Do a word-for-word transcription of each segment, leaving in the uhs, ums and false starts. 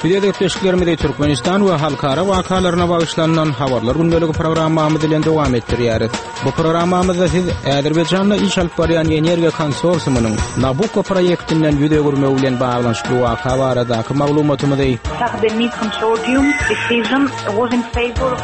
Biz öz gepleşiklerimizi Türkmenistan we halkara wakalaryna bagyşlanylan Habarlar gündeligi programmamyz bilen dowam etdirýäris. Bu programmamyzda siz Azerbaýjanda iş alyp barýan energiýa konsorsiumynyň Nabucco proýektinden ýüz öwürmegi bilen baglanyşykly waka baradaky maglumatymyzy Shah Deniz Consortium decision was in favor of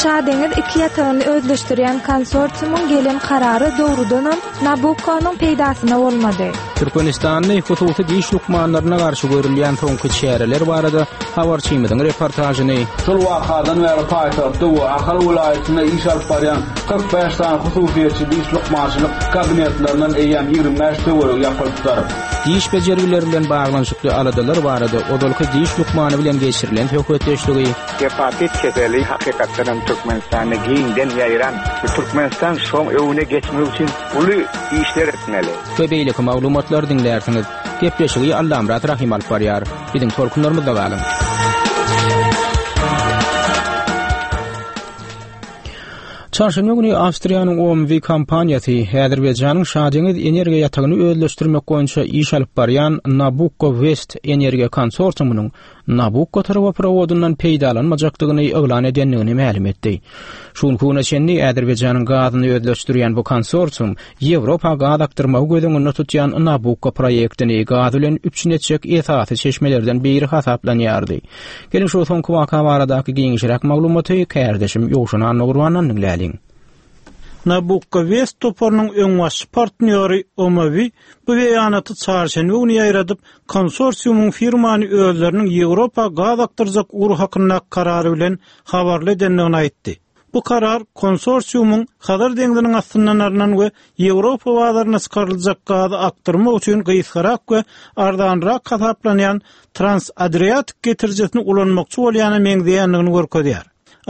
Şadeňiz iki ýatagyny özleşdirýän konsorsiumyň gelen karary dogrudanam Nabucco'nyň peýdasyna bolmady. Türkmenistanly hususy diş lukmanlaryna garşy görülýän soňky çäreler barada habarçymyzyň reportažyny Şol wakadan bäri paýtagtda we Ahal welaýatynda iş alyp barýan kyrk bäş sany hususyýetçi diş lukmançylyk kabinetlerinden eýýäm ýigrimi bäş töweregi ýapylypdyr. Diş bejergileri bilen baglanyşykly aladalar barada ozalky diş lukmany bilen geçirilen söhbetdeşligi Hepatit keseli hakykatdan hem Türkmenistanda giňden ýaýran. Türkmenistan şoň öňüne geçmek üçin uly işler etmeli. We beýleki maglumatlary diňlärsiňiz. Gepleşigi Allamyrat Rahim alyp barýar. Biziň tolkunlarymyzda galyň. Çarşenbe güni Awstriýanyň O M V kompaniýasy Azerbaýjanyň Şadeňiz energiýa ýatagyny özleşdirmek boýunça iş alyp barýan Nabucco West energiýa konsorsiumynyň Nabucco turboprovodyndan peýdalanmajakdygyny yglan edendigini mälim etdi. Şu günki güne çenli Azerbaýjanyň gazyny özleşdirýän bu konsorsium Ýewropa gaz akdyrmagy göz öňünde tutýan Nabucco proýektini gaz bilen üpjün etjek esasy çeşmelerden biri hasaplanýardy. Gelin şu soňky waka baradaky giňişräk maglumaty kärdeşim Ýowşan Annagurbandan diňläliň. Nabucco West toparynyň öňbaşçy partnýory O M V bu beýanaty çarşenbe güni ýaýradyp, konsorsiumyň firmany özleriniň Ýewropa gaz akdyrjak ugry hakynda karary bilen habarly edendigini aýtdy. Bu karar konsorsiumyň Hazar deňziniň astyndan alynan we Ýewropa bazaryna çykaryljak gazy akdyrmak üçin gysgarak we arzanrak hasaplanýan Trans-Adriatik getirijisini ulanmakçy bolýana meňzeýändigini görkezýär.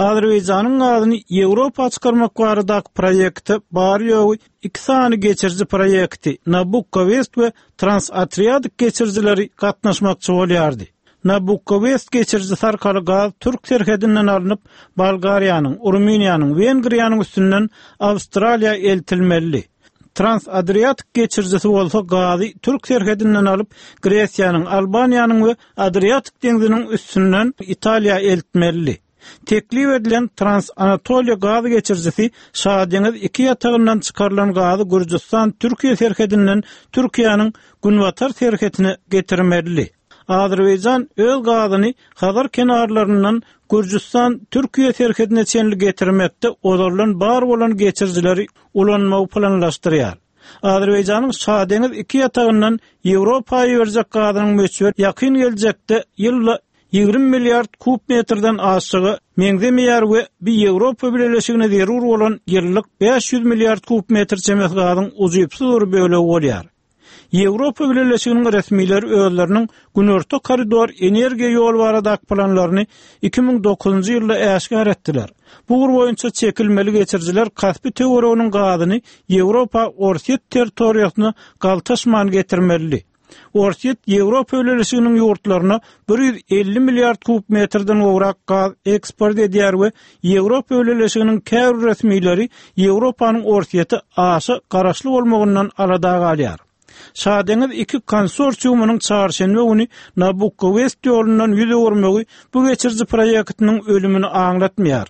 Azerbaýjanyň gazyny Ýewropa çykarmak baradaky proýekti bary-ýogy iki sany geçiriji proýekti Nabucco West we Trans-Adriatik geçirijileri gatnaşmakçy bolýardy. Nabucco West geçirijisi arkaly gaz Türk serhedinden alnyp, Bolgariýanyň, Rumyniýanyň, Wengriýanyň üstünden Awstraliýa eltilmeli. Trans-Adriatik geçirijisi bolsa gazy Türk serhedinden alyp, Gresiýanyň, Albaniýanyň we Adriatik deňziniň üstünden Italiýa eltmeli. Teklip edilen Trans-Anatoliýa gaz geçirijisi Şadeňiz iki ýatagyndan çykarylan gazy Gürjüstan Türkiýe serhedinden Türkiýäniň günbatar serhetine getirmeli. Azerbaýjan öz gazyny Hazar kenarlaryndan Gürjüstan Türkiýe serhedine çenli getirmekde ozaldan bar bolan geçirijileri ulanmagy planlaşdyrýar. Azerbaýjanyň Şadeňiz iki ýatagyndan Ýewropa iberjek gazynyň möçberi ýakyn geljekde ýylda ýigrimi milliard kub metrden aşagy meňzemeýär we bir Ýewropa Bileleşigine zerur bolan ýyllyk bäş ýüz milliard kub metr çemesi gazyň ujypsyz bir bölegi bolýar. Ýewropa Bileleşiginiň resmileri özleriniň Günorta koridor energiýa ýol baradaky planlaryny iki müň dokuzynjy ýylda äşgär etdiler. Bu ugur boýunça çekilmeli geçirijiler Kaspi töwereginiň gazyny Ýewropa Orsýet territoriýasyna galtaşman getirmeli. Orsýet Ýewropa Bileleşiginiň ýurtlaryna bir ýüz elli milliard kub metrden gowrak gaz eksport edýär we Ýewropa Bileleşiginiň käbir resmileri Ýewropanyň Orsýete aşa garaşly bolmagyndan alada galýar. Şadeňiz iki konsorsiumynyň çarşenbe güni Nabucco West ýolundan ýüz öwürmegi bu geçiriji proýektiniň ölümini aňlatmaýar.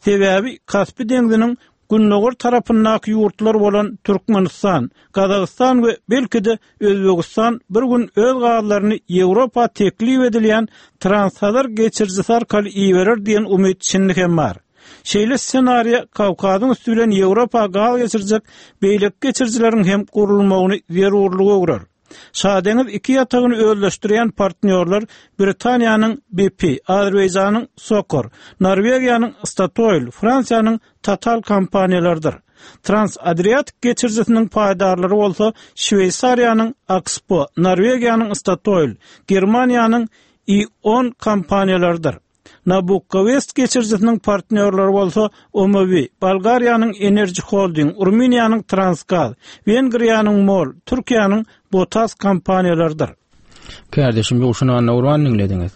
Sebäbi Kaspi deňziniň gündogar tarapyndaky ýurtlar bolan Türkmenistan, Gazagystan we belki-de Özbegistan bir gün öz gazlaryny Ýewropa teklip edilýän Trans-Hazar geçirijisi arkaly iberer diýen umyt şindi hem bar. Şeýle ssenariýa Kawkazyň üstü bilen Ýewropa gaz geçirjek beýleki geçirijileriň hem gurulmagyny zerurlygy öwrer. Şadeňiz iki ýatagyny özleşdirýän partnýorlar Britaniýanyň B P, Azerbaýjanyň Sokor, Norwegiýanyň Statoil, Fransiýanyň Total kompaniýalarydyr. Trans-Adriatik geçirijisiniň paýdarlary bolsa Şweýsariýanyň Axpo, Norwegiýanyň Statoil, Germaniýanyň E On kompaniýalarydyr. Nabucco West geçirijisiniň partnýorlary bolsa O M V, Bolgariýanyň Energy Holding, Rumyniýanyň Transgaz, Wengriýanyň MOL, Türkiýäniň Botas kompaniýalarydyr. Kärdeşim Ýowşan Annagurban diňlediňiz.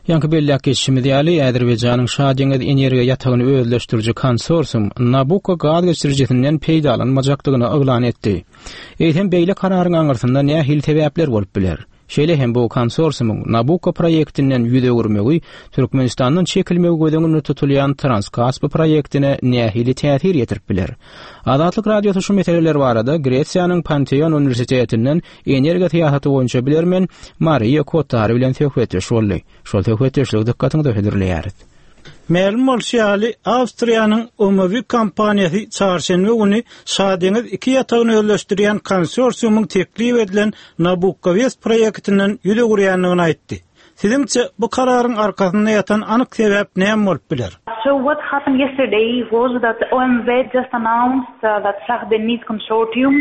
Ýaňky belläk geçişimiz ýaly, Azerbaýjanyň Şadeňiz energiýa ýatagyny özleşdiriji konsorsium Nabucco gaz geçirijisinden peýdalanmajakdygyny yglan etdi. Eýsem beýle kararyň aňyrsynda nähili sebäpler bolup biler? Şeýle hem bu konsorsiumyň Nabukko proýektinden ýüz öwürmegi Türkmenistandan çekilmegi göz öňünde tutulýan Transkaspi proýektine nähili täsir ýetirip biler? Azatlyk Radiosy şu meseleler barada Gresiýanyň Panteon uniwersitetinden energiýa syýasaty boýunça bilermen Mariýa Kottari bilen söhbetdeş boldy. Şol söhbetdeşligi dykgatyňyza hödürleýäris. Mälim bolşy ýaly, Awstriýanyň O M V kompaniýasy çarşenbe güni Şadeňiz iki ýatagyny özleşdirýän konsorsiumyň teklip edilen Nabukko West proýektinden ýüz öwürýändigini aýtdy. Siziňçe bu kararyň arkasynda ýatan anyk sebäp näme bolup biler? So what happened yesterday was that O M V just announced uh, that Shah Deniz Consortium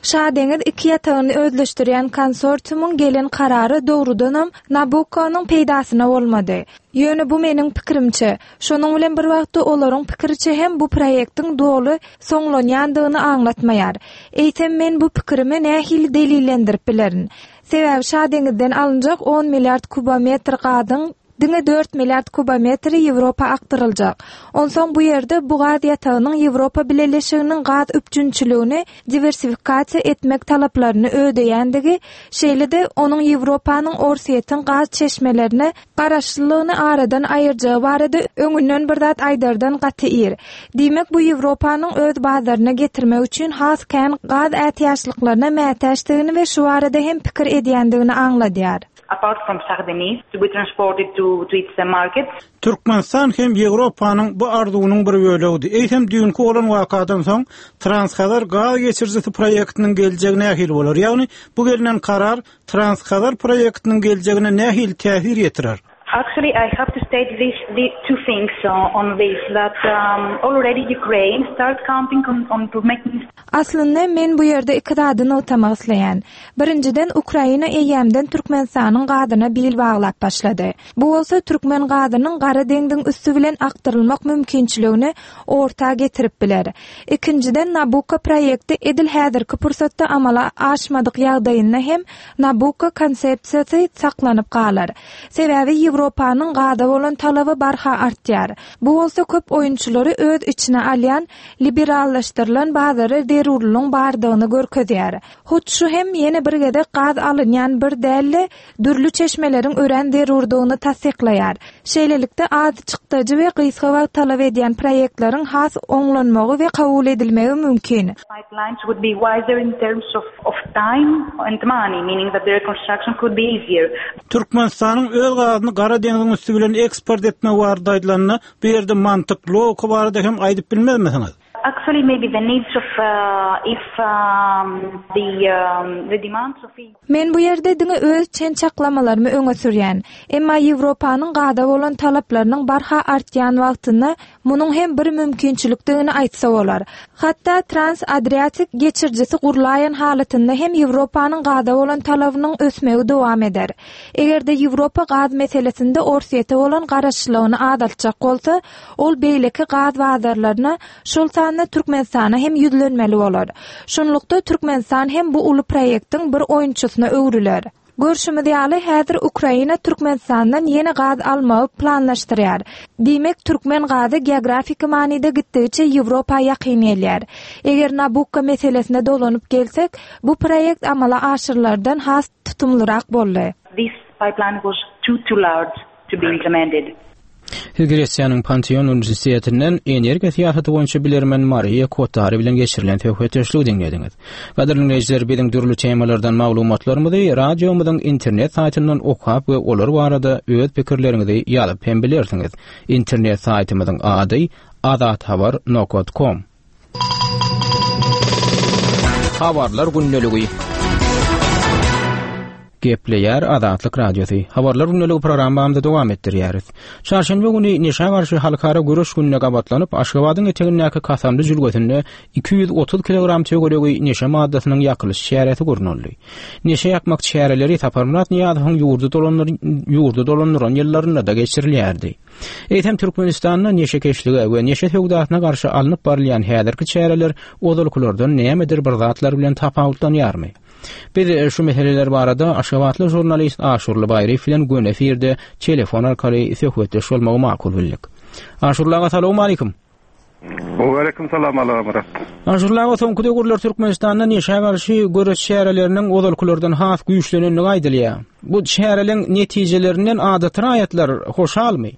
Şadeňiz iki ýatagyny özleşdirýän konsorsiumyň gelen karary dogrudanam Nabukkonyň peýdasyna bolmady. Ýöne bu meniň pikirimçe, şonuň bilen bir wagtda olaryň pikiriçe hem bu proýektiň doly soňlanýandygyny aňlatmaýar. Eýsem men bu pikirimi nähili delillendirip bilerin? Sebäbi Şadeňizden alynjak on milliard kubometr gazyň diňe dört milliard kubometri Ýewropa akdyryljak. Onsoň bu ýerde bu gaz ýatagynyň Ýewropa Bileleşiginiň gaz üpjünçiligini diwersifikasiýa etmek talaplaryny ödeýändigi, şeýle-de onuň Ýewropanyň Orsýetiň gaz çeşmelerine garaşlylygyny aradan aýyrjagy barada öňünden bir zat aýdardan gaty ir. Diýmek, bu Ýewropanyň öz bazaryna getirmek üçin has kän gaz ätiýaçlyklaryna mätäçdigini we şu barada hem pikir edýändigini aňladýar. Apart from Shah Deniz to be transported to, to its markets. Türkmenistan hem Ýewropanyň bu arzuwynyň bir bölegidi. Eýsem düýnki bolan wakadan soň Transhazar gaz geçirijisi proýektiniň geljegi nähili bolar? Ýagny bu gelinen karar Transhazar proýektiniň geljegine nähili täsir ýetirer? Actually, I have to state this, the two things uh, on this, that um, already Ukraine start counting on, on to making Aslynda men bu ýerde iki zady nygtamak isleýän. Birinjiden, Ukraina eýýämden Türkmenistanyň gazyna bil baglap başlady. Bu bolsa türkmen gazynyň Gara deňziň üsti bilen akdyrylmak mümkinçiligini orta getirip biler. Ikinjiden, Nabukko proýekti edil häzirki pursatda amala aşmadyk ýagdaýynda hem Nabukko konsepsiýasy saklanyp galar. Sebäbi Ýewropanyň gaza bolan talaby barha artýar. Bu bolsa köp oýunçylary öz içine alýan liberallaşdyrylan bazary zerurlygyň bardygyny görkezýär. Hut şu hem ýene bir gezek gaz alynýan bir dälle dürli çeşmeleriň örän zerurdygyny tassyklaýar. Şeýlelikde az çykdajy we gysga wagt talap edýän proýektleriň has oňlanmagy we kabul edilmegi mümkin. Pipelines would be wiser in terms of, of time and money, meaning that the reconstruction could be easier. Türkmenistanyň öz gazyny Gara deňziň üsti bilen eksport etmek barada aýdylanda, bu ýerde mantyk, logika barada hem aýdyp bilmezmisiňiz? Actually, maybe the needs of uh, if um, the um, the demands of Men bu ýerde diňe öz çen çaklamalarymy öňe sürýän. Emma Ýewropanyň gaza bolan talaplarynyň barha artýan wagtynda munuň hem bir mümkinçilikdigini aýtsa bolar. Hatda Trans-Adriatik geçirijisi gurlaýan halatynda hem Ýewropanyň gaza bolan talabynyň ösmegi dowam eder. Eger-de Ýewropa gaz meselesinde Orsýete bolan garaşlylygyny azaltjak bolsa, ol beýleki gaz bazarlaryna, şol sanda Türkmenistana hem ýüzlenmeli bolar. Şunlukda Türkmenistan hem bu uly proýektiň bir oýunçysyna öwrüler. Görşümiz ýaly, häzir Ukraina Türkmenistandan ýene gaz almagy planlaşdyrýar. Diýmek, türkmen gazy geografik manyda gitdigiçe Ýewropa ýakyn gelýär. Eger Nabukko meselesine dolanyp gelsek, bu proýekt amala aşyrylardan has tutumlyrak boldy. This pipeline was too too large to be implemented. Siz Gresiýanyň Panteon Uniwersitetinden energiýa syýasaty boýunça bilermen Mariýa Kottari bilen geçirilen söhbetdeşligi diňlediňiz. Gadyrly dinleýjiler, biziň dürli temalardan maglumatlarymyzy radiomyzyň internet saýtyndan okap we olar barada öz pikirleriňizi ýazyp hem bilersiňiz. Internet saýtymyzyň ady azathabar nokta com. Habarlar gündeligi. Gepleýär Azatlyk Radiosy. Habarlar gündeligi programmamyzy dowam etdirýäris. Çarşenbe güni neşä garşy halkara göreş gününe gabatlanyp, Aşgabadyň etegindäki Kasamly jülgesinde iki ýüz otuz kilogram töweregi neşe maddasynyň ýakylyş çäresi gurnaldy. Neşe ýakmak çäreleri Saparmyrat Nyýazowyň ýurdy dolandyr ýurdy dolandyran ýyllarynda da geçirilýärdi. Eýsem Türkmenistanda neşekeşlige we neşe söwdasyna garşy alnyp barylýan häzirki çäreler ozalkylardan nämedir bir zatlar bilen tapawutlanýarmy? Biz şu meseleler barada Aşgabatly žurnalist Aşurly Baýryýew bilen göni efirde telefon arkaly söhbetdeş bolmagy makul bildik. Aşurly aga, salam aleyküm. Waleýkim salam Allamyrat. Aşurly aga, soňky döwürler Türkmenistanda neşä garşy göreş çäreleriniň ozalkylardan has güýçlenendigi aýdylýar. Bu çäreleriň netijelerinden adaty raýatlar hoşalmy?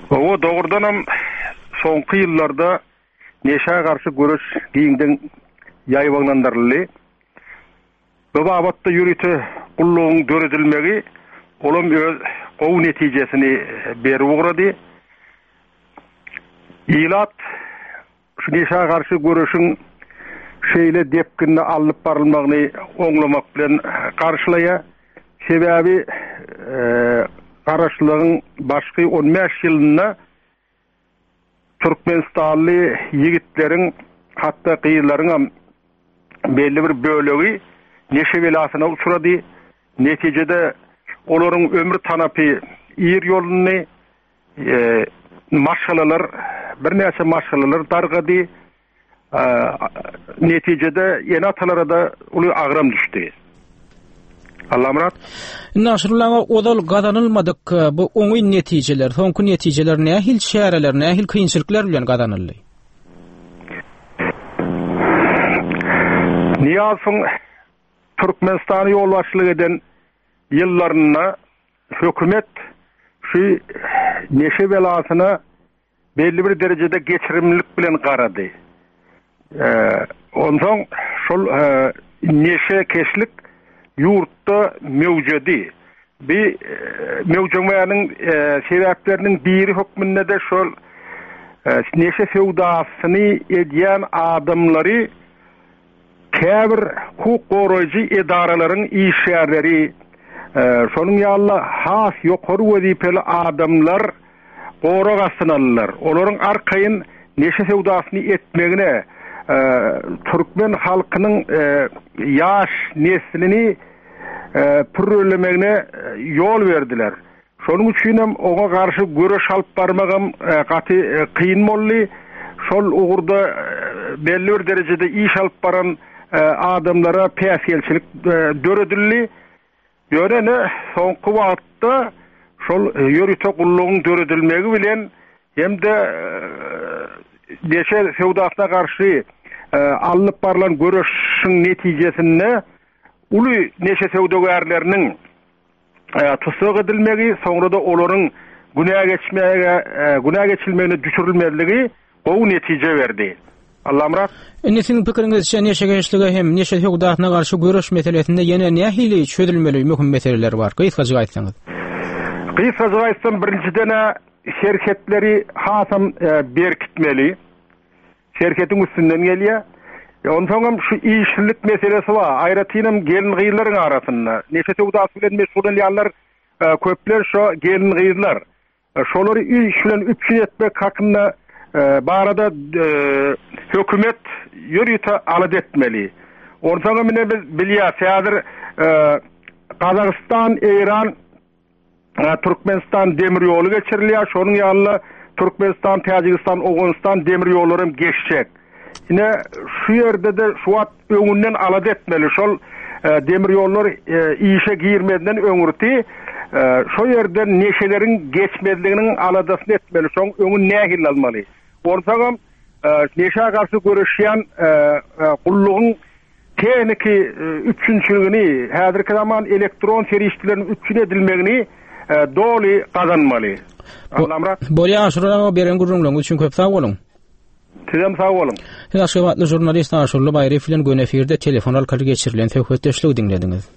Hawa, dogrudanam soňky ýyllarda neşä garşy göreş giňden ýaýbaňlandyryldy. Bu babatda ýörite gullugyň döredilmegi olam öz gowy netijesini berip ugrady. Ilat şu neşä garşy göreşiň şeýle depginde alnyp barylmagyny oňlamak bilen garşylaýar. Sebäbi garaşlygyň başky on bäş ýylynda Türkmenistanly ýigitleriň, hatda gyzlaryň belli bir bölegi neşe belasyna uçrady. Netijede olaryň ömür tanapy ir ýolundy, e, maşgalalar, birnäçe maşgalalar dargady. E, netijede ene-atalara da uly agram düşdi. Allamyrat. Indi Aşyrly aga, ozal gazanylmadyk bu oňyn netijeler, soňky netijeler nähili çäreler, nähili kynçylyklar bilen gazanyldy? Niýazowyň Türkmenistany ýolbaşçylyk eden ýyllarynda hökümet şu neşe belasyna belli bir derejede geçirimlilik bilen garady. Ee, onsoň şol e, neşe keşlik ýurtda mewjedi. Bir e, mewjemäniň e, sebäpleriniň biri hökmünde de şol e, neşe söwdasyny edýän adamlary käbir hukuk goraýjy edaralaryň işgärleri, e, şonuň ýaly has ýokary wezipeli adamlar gorag astyna aldylar. Olaryň arkaýyn neşe söwdasyny etmegine, e, türkmen halkynyň, e, ýaş neslini, e, pürrelemegine, e, ýol berdiler. Şonuň üçin hem oňa garşy göreş alyp barmagam, e, gaty, e, kyn boldy. Şol ugurda, e, belli bir derejede iş alyp baran, e, adamlara päsgelçilik, e, döredildi. Ýöne ne soňky wagtda şol ýörite gullugyň döredilmegi bilen hem de, e, neşe söwdasyna garşy, e, alnyp barlan göreşiň netijesinde uly neşe söwdagärleriniň, e, tussag edilmegi, soňra da olaryň günä geçmäge, e, günä geçilmegine düşürilmezligi gowy netije berdi. Allamyrat. Indi siziň pikiriňizçe neşe geçlige hem neşe söwdasyna garşy göreş meselesinde ýene nähili çözülmeli möhüm meseleler bar? Gysgajyk aýtsaňyz. Gysgajyk aýtsam, birinjiden serhetleri hasam, e, berkitmeli. Serhetiň üstünden gelýär. E, onsoň hem şu işsizlik meselesi bar. Aýratynam gelin-gyzlaryň arasynda. Neşe söwdasy bilen meşgullanýanlar, e, köpler şu gelin-gyzlar. E, şolary iş bilen üpjün etmek hakynda, e, barada, e, hökümet ýörite alada etmeli. Onsoň hem ine biz bilýäs, häzir, e, Gazagystan, Eýran, e, Türkmenistan demir ýoly geçirilýär. Şonuň ýaly Türkmenistan, Täjigistan, Owganystan demir ýollary hem geçjek. Ine şu ýerde de şu wagt öňünden alada etmeli. Şol, e, demir ýollar, e, işe girmeden öňürti, e, şo ýerden neşeleriň geçmezliginiň aladasyny etmeli. Şoň öňün nähili almaly? Onsoň hem, e, neşä garşy göreşýän, e, e, gullugyň tehniki, e, üpjünçiligini, häzirki zaman elektron serişdeleriniň üpjün edilmegini, e, doly gazanmaly. Allamyrat. Bolýar, Aşurly aga, beren gürrüňleriňiz üçin köp sag boluň. Sizem sag boluň. Siz Aşgabatly žurnalist Aşurly Baýryýew bilen göni efirde telefon arkaly geçirilen söhbetdeşligi diňlediňiz.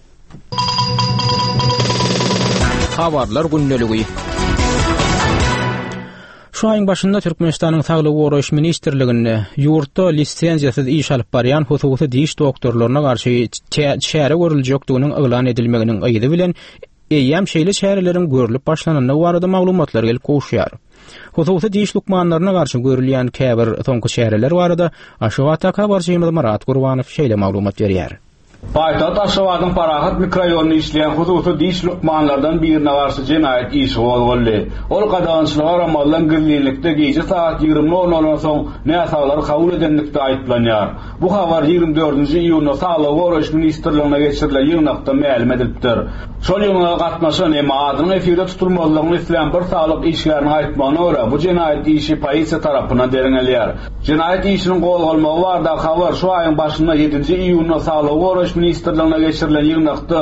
Habarlar gündeligi. Şu aýyň başynda Türkmenistanyň Saglygy goraýyş ministrliginde ýurtda lisenziýasyz iş alyp barýan hususy diş doktorlaryna garşy çäre görüljekdiginiň yglan edilmeginiň yzy bilen eýýäm şeýle çäreleriň görlüp başlanandygy barada maglumatlar gelip gowuşýar. Hususy diş lukmanlaryna garşy görülýän käbir soňky çäreler barada Aşgabatdaky habarçymyz Myrat Gurbanow şeýle maglumat berýär. Paýtagt Aşgabadyň Parahat mikroraýonynda işleýän hususy diş lukmanlardan birine garşy jenaýat işi gozgaldy. Ol gadagançylyga garamazdan gizlinlikde gije saat ýigrimi nol noldan soň näsaglary kabul edenlikde aýyplanýar. Bu habar ýigrimi dördünji iýunda Saglygy goraýyş ministrligine geçirilen ýygnakda mälim edilipdir. Şol ýygnaga gatnaşan emma adynyň efirde tutulmazlygyny islän bir saglyk işgäriniň aýtmagyna görä, bu jenaýat işi polisiýa tarapyndan derňelýär. Jenaýat işiniň gozgalmagy barada habar şu aýyň başynda ýedinji iýunda Saglygy goraýyş ministrligine geçirilen ýygnakda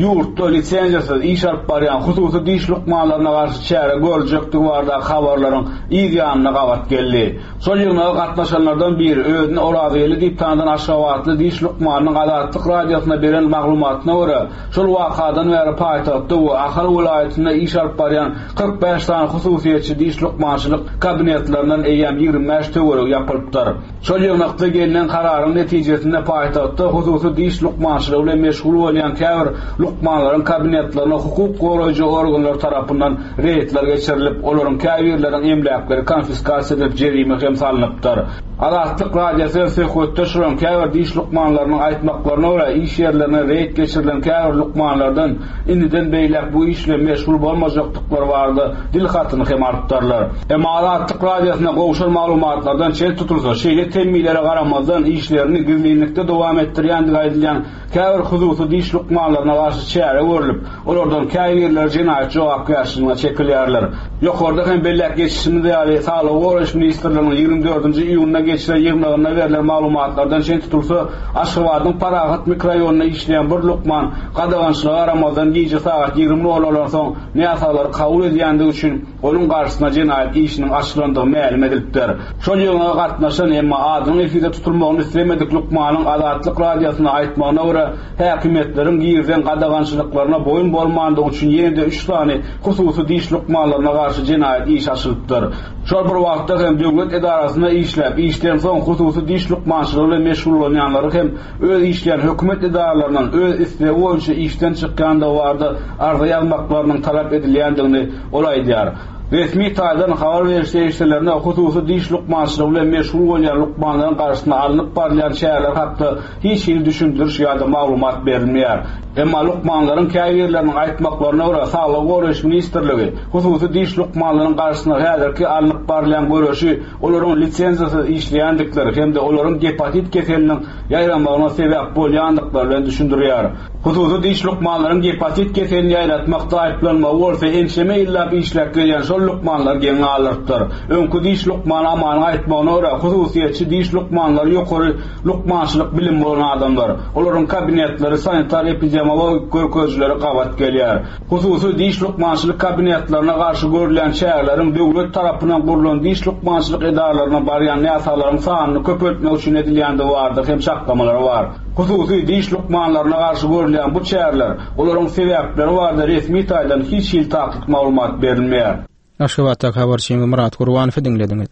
ýurtda lisenziýasyz iş alyp barýan hususy diş lukmanlaryna garşy çäre görüljekdigi barada habarlaryň yz ýanyna gabat geldi. Şol ýygnaga gatnaşanlardan biri özüni Orazgeldi diýip tanydan Aşgabatly diş lukmanynyň Azatlyk radiosyna beren maglumatyna görä, şol wakadan bäri paýtagtda we Ahal welaýatynda iş alyp barýan kyrk bäş sany hususyýetçi diş lukmançylyk kabinetlerinden eýýäm ýigrimi bäş töweregi ýapylypdyr. Şol ýygnakda gelnen kararyň netijesinde paýtagtda hususy diş lukmançylygy bilen meşgul bolýan käbir lukmanlaryň kabinetlerine hukuk goraýjy organlar tarapyndan reýdler geçirilip, olaryň käbirleriniň emläkleri konfiskasiýa edilip jerime hem salnypdyr. Azatlyk radiosy söhbetdeş bolan käbir diş lukmanlarynyň aýtmaklaryna görä, iş ýerlerine reýd geçirilen käbir lukmanlardan indiden beýläk bu iş bilen meşgul bolmajakdyklary barada dil hatyny hem alypdyrlar. Emma Azatlyk radiosyna gowşan maglumatlardan çen tutulsa, şeýle temmilere garamazdan işlerini gizlinlikde dowam etdirýändigi aýdylýan käbir hususy diş lukmanlaryna garşy çäre görülip, olardan käbirleri jenaýat jogapkärçiligine çekilýärler. Ýokarda hem belläp geçişimiz ýaly, Saglygy goraýyş ministrliginiň ýigrimi dördünji iýunda geçirilen ýygnagynda berlen maglumatlardan çen tutulsa, Aşgabadyň Parahat mikroraýonynda işleýän bir lukman gadagançylyga garamazdan gije sagat ýigrimi nol noldan soň näsaglary kabul edýändigi üçin onuň garşysyna jenaýat işiniň açylandygy mälim edilipdir. Şol ýygnaga gatnaşan emma adynyň efirde tutulmagyny islemedik lukmanyň Azatlyk radiosyna aýtmagyna görä, häkimiýetleriň girizen gadagançylyklaryna boýun bolmandygy üçin ýene-de üç sany hususy diş lukmanlaryna garşy jenaýat işi açylypdyr. Şol bir wagtda hem döwlet edarasynda işläp, işden soň hususy diş lukmançylygy bilen meşgullanýanlary hem öz işleýän hökümet edaralaryndan öz islegi boýunça işden çykýandygy barada arza ýazmaklarynyň talap edilýändigini ol aýdýar. Resmi taýdan habar beriş serişdelerine hususy diş lukmançylygy bilen meşgul bolýan lukmanlaryň garşysyna alnyp barylýan çäreler hakda hiç hili düşündiriş ýa-da maglumat berilmeýär. Emma lukmanlaryň käbirleriniň aýtmaklaryna görä, Saglygy goraýyş ministrligi hususy diş lukmanlaryň garşysyna häzirki alnyp barylýan göreşi olaryň lisenziýasyz işleýändikleri hem-de olaryň gepatit keseliniň ýaýramagyna sebäp bolýandyklary bilen düşündirýär. Hususy diş lukmanlaryň gepatit keselini ýaýratmakda aýyplanmagy bolsa ençeme ýyllap işläp gelýän şol lukmanlar geň galdyrypdyr. Öňki diş lukmany Amanyň aýtmagyna görä, hususyýetçi diş lukmanlary ýokary lukmançylyk bilimi bolan adamlar. Olaryň kabinetleri sanitar epidemiologik görkezijileri gabat gelýär. Hususy diş lukmançylyk kabinetlerine garşy görülýän çäreleriň döwlet tarapyndan gurlan diş lukmançylyk edaralaryna barýan näsaglaryň sanyny köpeltmek üçin edilýändigi barada hem çaklamalar bar. Hususy diş lukmanlaryna garşy görülýän bu çäreler, olaryň sebäpleri barada resmi taýdan hiç hili takyk maglumat berilmeýär. Aşgabatda habarçymyz Murat Gurbanowy diňlediňiz.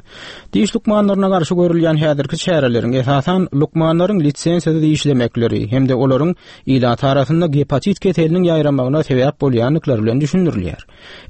Diş lukmanlaryna garşy görülýän häzirki çäreleriň esasan lukmanlaryň lisenziýasyz işlemekleri hem-de olaryň ilat arasynda gepatit keseliniň ýaýramagyna sebäp bolýandyklary bilen düşündirilýär.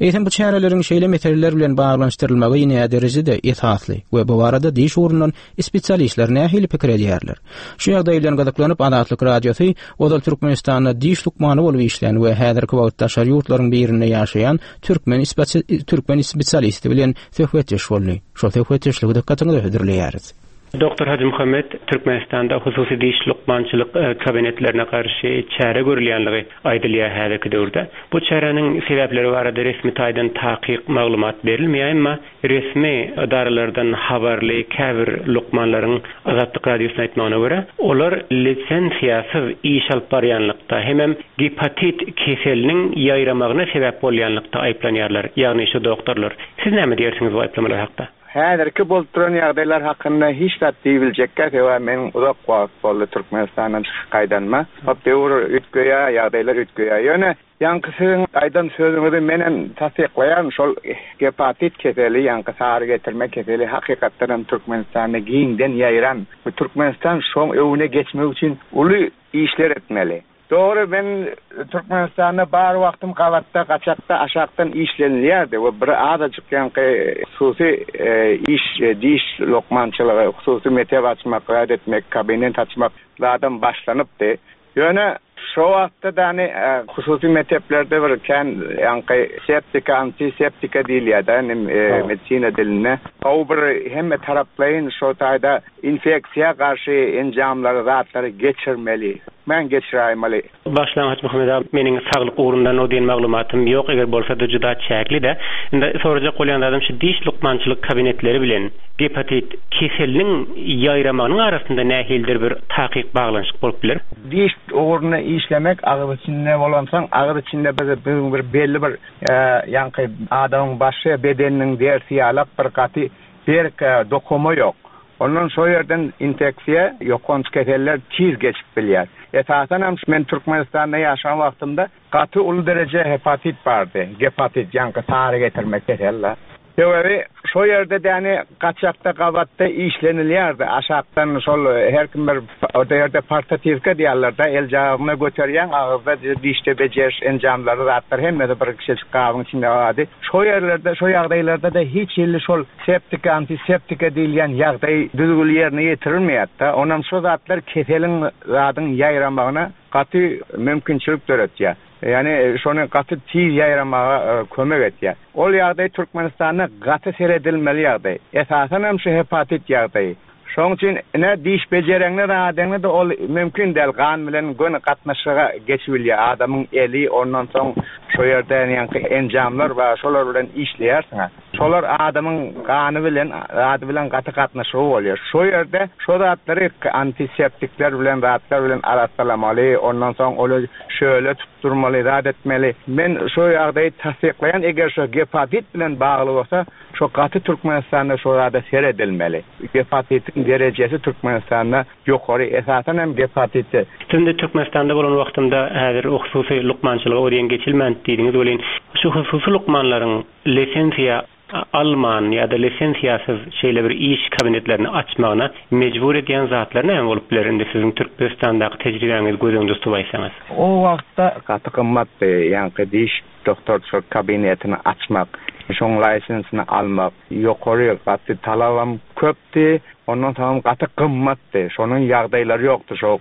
Eýsem bu çäreleriň şeýle meseleler bilen baglanyşdyrylmagy näme derejede esasly we bu barada diş ugrundan spesialistler nähili pikir edýärler? Şu ýagdaý bilen gyzyklanyp Azatlyk radiosy ozal Türkmenistanda diş lukmany bolup işlän we häzirki wagtda daşary ýurtlaryň birinde ýaşaýan türkmen spesi-, türkmen spesialisti bilen söhbetdeş boldy. Şol söhbetdeşligi dykgatyňyza hödürleýäris. Doktor Hacı Muhammed, Türkmenistanda hususy diş lukmançylyk, e, kabinetlerine garşy çäre görülýänligi aýdylýar häzirki döwürde. Bu çäräniň sebäpleri barada resmi taýdan takyk maglumat berilmeýär, emma resmi edaralardan habarly käbir lukmanlaryň Azatlyk radiosyna aýtmagyna görä, olar lisenziýasyz iş alyp barýanlykda hemem gepatit keseliniň ýaýramagyna sebäp bolýanlykda aýyplanýarlar, ýagny şu doktorlar. Siz näme diýersiňiz bu aýyplamalar hakda? Häzirki bolup duran ýagdaýlar hakynda hiç zat diýibiljekkä, sebäbi men uzak wagt boldy Türkmenistandan çykyp gaýdanma. Hop döwür üýtgeýär, ýagdaýlar üýtgeýär. Ýöne ýaňky siziň aýdan sözüňizi menem tassyklaýan, şol gepatit keseli, ýaňky sary getirme keseli hakykatdan hem Türkmenistanda giňden ýaýran. Bu Türkmenistan şoň öwüne geçmek üçin uly işler etmeli. Doğru, ben Türkmenistanda bar wagtym gabatda, gaçakda, aşakdan işlenilýärdi we bir azajyk ýaňky hususy, e, iş, e, diş lukmançylygy, hususy mekdep açmak, raýat etmek, kabinet açmak zadam başlanypdy. Ýöne Şo wagtda da hani e, hususy mekteplerde bir kän ýaňky septika, antiseptika diýilýär da e, medisina dilinde. O bir hemme taraplaýyn şo taýda infeksiýa garşy enjamlary, zatlary geçirmeli. Men geçiraýmaly. Başlan Hajy aga, meniň saglyk ugrundan o diýen maglumatym ýok, eger bolsa da juda çäkli-de. Indi sorajak bolýan zadym şu diş lukmançylyk kabinetleri bilen gepatit keseliniň ýaýramagynyň arasynda nähilidir bir takyk baglanyşyk bolup biler? Diş ugrunda işlemek agyz içinde bolansoň, agyz içinde bir bir, bir belli bir e, ýaňky adamyň başy bedeniniň dersi ýalak bir gaty berk e, dokuma ýok. Ondan şo ýerden infeksiýa ýokanç keseller tiz geçip bilýär. Esasen hem men Türkmenistanda ýaşan wagtymda gaty uly dereje hepatit bardy. Gepatit ýaňky sary getirmek keseller. Sebäbi şo ýerde däni gaçakda gabatda işlenilýärdi. Aşakdan şol her kim bir o ýerde portativka diýerler-de, el jagyna göterýän agyzda dişde bejeriş enjamlary zatlar hemmesi bir kişi gabyň içinde bardy. Şo ýerlerde, şo ýagdaýlarda da hiç ýerli şol septika, antiseptika diýilýän ýagdaý düzgül ýerine ýetirilmeýärdi. Onam şo zatlar keseliň zadyň ýaýramagyna gaty mümkinçilik döretýär. Yani şonu gaty tiz ýaýramaga e, kömek etýär. Ol ýagdaý Türkmenistanda gaty seredilmeli ýagdaý. Esasen hem şu hepatit ýagdaýy. Şoň üçin ine diş bejereňne radyňda da ol mümkin däl gan bilen göni gatnaşyga geçibilýär. Adamyň eli ondan soň şo ýerde ýaňky enjamlar bar, şolar bilen işleýärsiň. Şolar adamyň gany bilen, ady bilen gaty gatnaşygy bolýar. Şo ýerde şo zatlary antiseptikler bilen, zatlar bilen arassalamaly, ondan soň ol şöyle tutdurmaly, zat etmeli. Men şo ýagdaýy tassyklaýan, eger şo gepatit bilen bagly bolsa, şo gaty Türkmenistanda şo zada seredilmeli. Gepatitiň derejesi Türkmenistanda ýokary, esasen hem gepatiti. Şimdi Türkmenistanda bolan wagtymda häzir hususy lukmançylyga o diýen geçilmän diýdiňiz welin, şu hususy lukmanlaryň lisensiýa alman ýa-da lisensiýasyz şeýle bir iş kabinetlerini açmagyna mejbur edýän zatlar näme bolup biler indi siziň Türkmenistandaky tejribäňizi göz öňünde tutup aýtsaňyz? O wagtda gaty gymmatdy, ýaňky diş doktorçylyk kabinetini açmak, şoň lisensini almak, ýokary gaty talabam köpdi, ondan soň gaty gymmatdy. Şonuň ýagdaýlary ýokdy, şo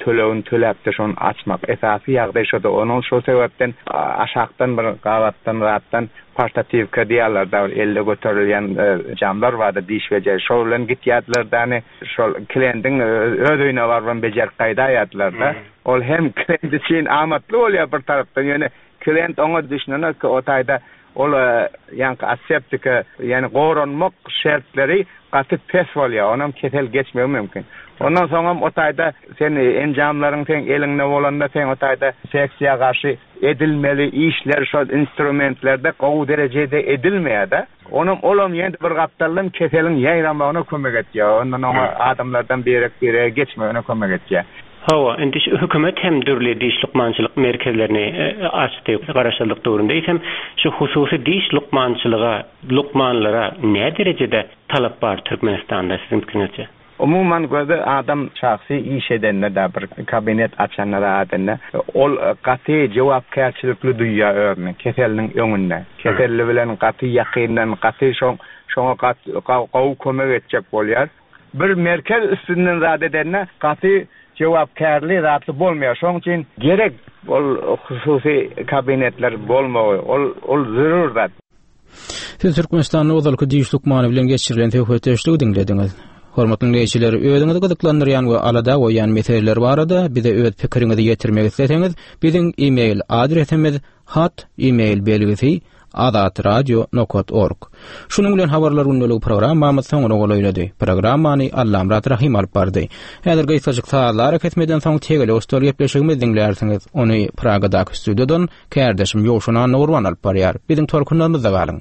tölegini töläpdi, şony açmak. Esasy ýagdaý şoda, onuň şo sebäpden aşakdan bir gabatdan zatdan portativka diýerler da elle göterilýän e, jamlar bardy diş bejer. Şol bilen gitýärdiler däni şol klientiň e, öz öýüne baryp bejerip gaýdaýardylar da. Ol hem klient üçin amatly bolýar bir tarapdan, ýöne klient oňa düşünenok ki o taýda ol e, ýaňky aseptika, ýani goranmak şertleri gaty pes bolýar. Onam kesel geçmegi mümkin. Ondan soňam o taýda sen enjamlaryň sen eliňde bolanda sen o taýda infeksiýa garşy edilmeli işler şol instrumentlerde gowy derejede edilmeýär-de. Onam olam ýene bir gapdaldan keseliň ýaýramagyna kömek etýär. Ondan oňa adamlardan birek birege geçmegine kömek etýär. Hawa, indi şu hökümet hem dürli diş lukmançylyk merkezlerini e, açdy garaşsyzlyk döwründe. Eýsem şu hususy diş lukmançylyga, lukmanlara ne derejede talap bar Türkmenistanda siziň pikiriňizçe? Umuman göze adam şahsy iş edende da bir kabinet açanda da adende ol gaty jogapkärçilikli duýýar özüni keseliniň öňünde. Keselli bilen gaty ýakyndan gaty şoň şoňa gaty gowy kömek etjek bolýar. Bir merkez üstünden zat edende gaty jogapkärli zatly bolmaýar. Şoň üçin gerek ol hususy kabinetler bolmagy, ol ol zerur zat. Siz Türkmenistanda ozalky diş lukmany bilen geçirilen söhbetdeşligi diňlediňiz. Hormatly dinleýjiler, özüňizi gyzyklandyrýan we alada goýýan meseleler barada bize öz pikiriňizi ýetirmek isleseňiz, biziň e-mail adresimiz hat e-mail belgisi azatradio nokta org. Şunuň bilen habarlar gündelik programmamyz soňuna golaýlady. Programmany Allamrat Rahim alyp bardy. Häzir gysgajyk sazlara kesmeden soň tegelek stol gepleşigimizi diňlärsiňiz. Ony Pragadaky studiýadan kärdeşim Ýowşan Annagurban alyp barýar. Biziň tolkunlarymyzda galyň.